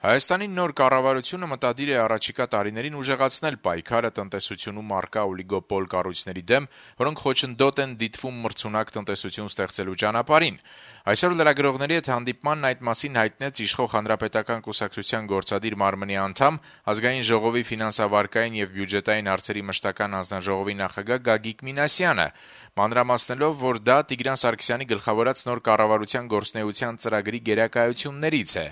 Հայաստանի նոր կառավարությունը մտադիր է առաջիկա տարիներին ուժեղացնել պայքարը տնտեսությունում առկա օլիգոպոլ կառույցների դեմ, որոնք խոչընդոտ են դիտվում մրցունակ տնտեսություն ստեղծելու ճանապարհին։ Այսօր լրագրողների հետ հանդիպմանն այդ մասին հայտնեց իշխող Հանրապետական կուսակցության գործադիր մարմնի անդամ, Ազգային ժողովի ֆինանսավարկային եւ բյուջետային հարցերի մշտական հանձնաժողովի նախագահ Գագիկ Մինասյանը, մանրամասնելով, որ դա Տիգրան Սարգսյանի գլխավորած նոր կառավարության գործունեության ծրագրի գերակայություններից է։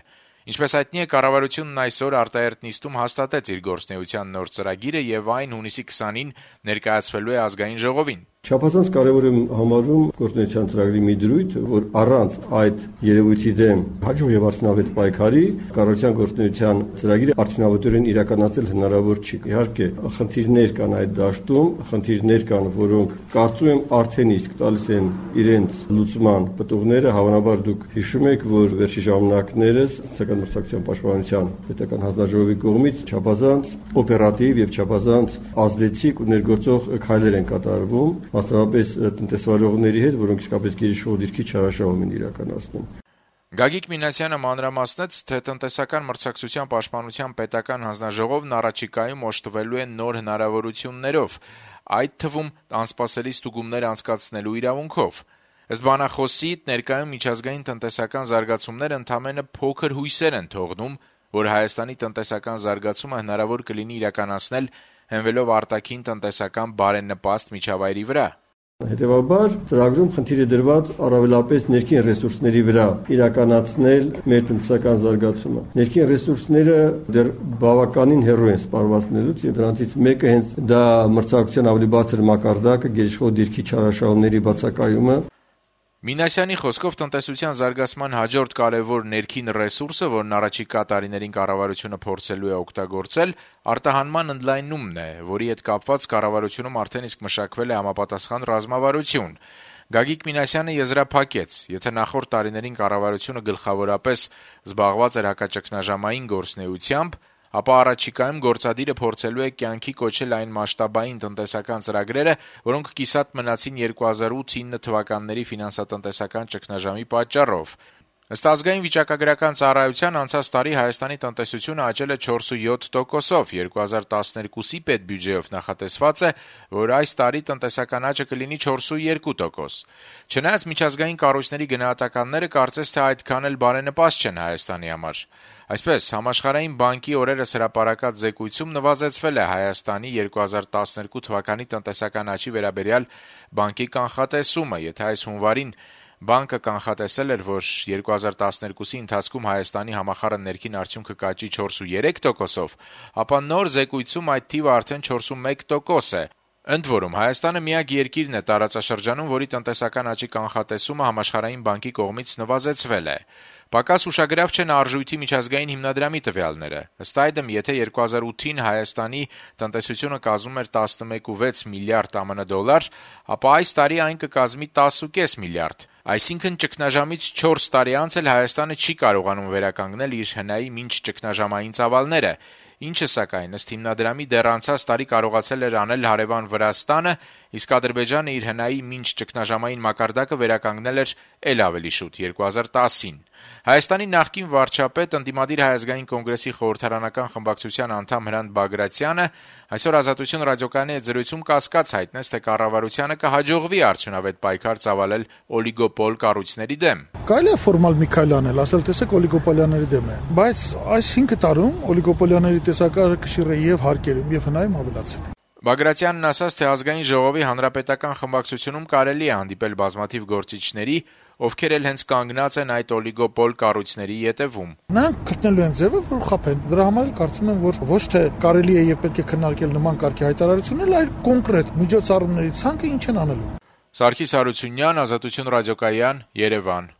Ինչպես հայտնի է, կառավարությունն այսօր արտահերթ նիստում հաստատեց իր գործունեության նոր ծրագիրը եւ այն հունիսի 20-ին ներկայացվելու է Ազգային ժողովին։ Չափազանց կարևոր եմ համարում գործունեության ծրագրի մի դրույթ, որ առանց այդ երևույթի դեմ հաջող եւ արդյունավետ պայքարի կառավարության գործունեության ծրագիրը արդյունավետորեն իրականացնել հնարավոր չի։ Իհարկե, խնդիրներ կան այդ դաշտում, խնդիրներ կան, որոնք կարծում եմ արդեն իսկ տալիս են իրենց լուծման պտուղները։ Հավանաբար դուք հիշում եք, որ վերջի ժամանակներս Սոցիալական մրցակցության պաշտպանության պետական հանձնաժողովի կողմից չափազանց օպերատիվ եւ չափազանց ազդեցիկ ու ներգործող քայլեր են կատարվում, մասնավորապես տնտեսվարողների հետ, որոնք իսկապես գերիշխող դիրքի չարաշահում են իրականացնում։ Գագիկ Մինասյանը մանրամասնեց, թե տնտեսական մրցակցության պաշտպանության պետական հանձնաժողովն առաջիկայում օժտվելու է նոր հնարավորություններով, այդ թվում անսպասելի ստուգումներ անցկացնելու իրավունքով։ Ըստ բանախոսի, ներկայում միջազգային տնտեսական զարգացումները ընդամենը փոքր հույսեր են թողնում, որ Հայաստանի տնտեսական զարգացումը հնարավոր կլինի իրականացնել հենվելով արտաքին տնտեսական բարենպաստ միջավայրի վրա։ Հետևաբար, ծրագրում խնդիր է դրված առավելապես ներքին ռեսուրսների վրա իրականացնել մեր տնտեսական զարգացումը։ Ներքին ռեսուրսները դեռ բավականին հեռու են սպառվածքներից, եւ դրանցից մեկը հենց դա մրցակցության ավելի բարձր մակարդակը, գերիշխող դիրքի չարաշահումների բացակայումը։ Մինասյանի խոսքով տնտեսության զարգացման հաջորդ կարևոր ներքին ռեսուրսը, որն առաջիկա տարիներին կառավարությունը փորձելու է օգտագործել, արտահանման ընդլայնումն է, որի հետ կապված կառավարությունում արդեն իսկ մշակվել է համապատասխան ռազմավարություն։ Գագիկ Մինասյանը եզրափակեց, եթե նախորդ տարիներին կառավարությունը գլխավորապես զբաղված էր հակաճգնաժամային գործունեությամբ, ապա առաջիկայում գործադիրը փորձելու է կյանքի կոչել այն մասշտաբային տնտեսական ծրագրերը, որոնք կիսատ մնացին 2008-9 թվականների ֆինանսատնտեսական ճգնաժամի պատճառով։ Ըստ ազգային վիճակագրական ծառայության անցած տարի Հայաստանի տնտեսությունը աճել է 4.7%-ով, 2012-ի պետբյուջեով նախատեսված է, որ այս տարի տնտեսական աճը կլինի 4.2%։ Չնայած միջազգային կառույցների գնահատականները կարծես թե այդքան էլ բարենպաստ չեն Հայաստանի համար։ Այսպես, Համաշխարհային բանկի օրերս հրապարակած զեկույցում նվազեցվել է Հայաստանի 2012 թվականի տնտեսական աճի վերաբերյալ բանկի կանխատեսումը, եթե այս հունվարին բանկը կանխատեսել էր, որ 2012-ի ընթացքում Հայաստանի համախառն ներքին արդյունքը կաճի 4.3%-ով, ապա նոր զեկույցում այդ թիվը արդեն 4.1% է։ Ընդ որում, Հայաստանը միակ երկիրն է տարածաշրջանում, որի տնտեսական աճի կանխատեսումը Համաշխարհային բանկի կողմից նվազեցվել է։ Պակաս ուշագրավ չեն արժույթի միջազգային հիմնադրամի տվյալները։ Ըստ այդմ, եթե 2008-ին Հայաստանի տնտեսությունը կազմում էր 11.6 միլիարդ ԱՄՆ ապա այս տարի այն կկազմի 10.5 միլիարդ։ Այսինքն ճգնաժամից 4 տարի անց էլ Հայաստանը չի կարողանում վերականգնել իր հնայի մինչ ճգնաժամային ծավալները, ինչը սակայն ըստ հիմնադրամի դեռ անցած տարի կարողացել էր անել հարևան Վրաստանը, իսկ Ադրբեջանը իր հնայի մինչ ճգնաժամային մակարդակը վերականգնել էր էլ ավելի շուտ 2010-ին։ Հայաստանի նախկին վարչապետ, ընդդիմադիր Հայ ազգային կոնգրեսի խորհրդարանական խմբակցության անդամ Հրանտ Բագրատյանը այսօր Ազատություն ռադիոկայանի հետ զրույցում կասկած հայտնեց, թե կառավարությանը կհաջողվի արդյունավետ պայքար ծավալել օլիգոպոլ կառույցների դեմ։ Կարելի է ֆորմալ մի քայլ անել, ասել տեսեք օլիգոպոլյաների դեմ է, բայց այս 5 տարում օլիգոպոլյաների տեսակարարը կշիռ է եւ հարկերում եւ հնայում ավելացել։ Բագրատյանն ասաց, թե Ազգային ժողովի հանրապետական խմբակցությունում կարելի է հանդիպել բազմաթիվ գործիչների, ովքեր էլ հենց կանգնած են այդ օլիգոպոլ կառույցների ետևում։ Նրանք գտնելու են ձևը, որ խփեն։ Դրա համար էլ կարծում եմ, որ ոչ թե կարելի է եւ պետք է քննարկել նման կարգի հայտարարություններ, այլ կոնկրետ միջոցառումների ցանկը ինչ են անելու։ Սարգիս Հարությունյան, Ազատություն ռադիոկայան, Երևան։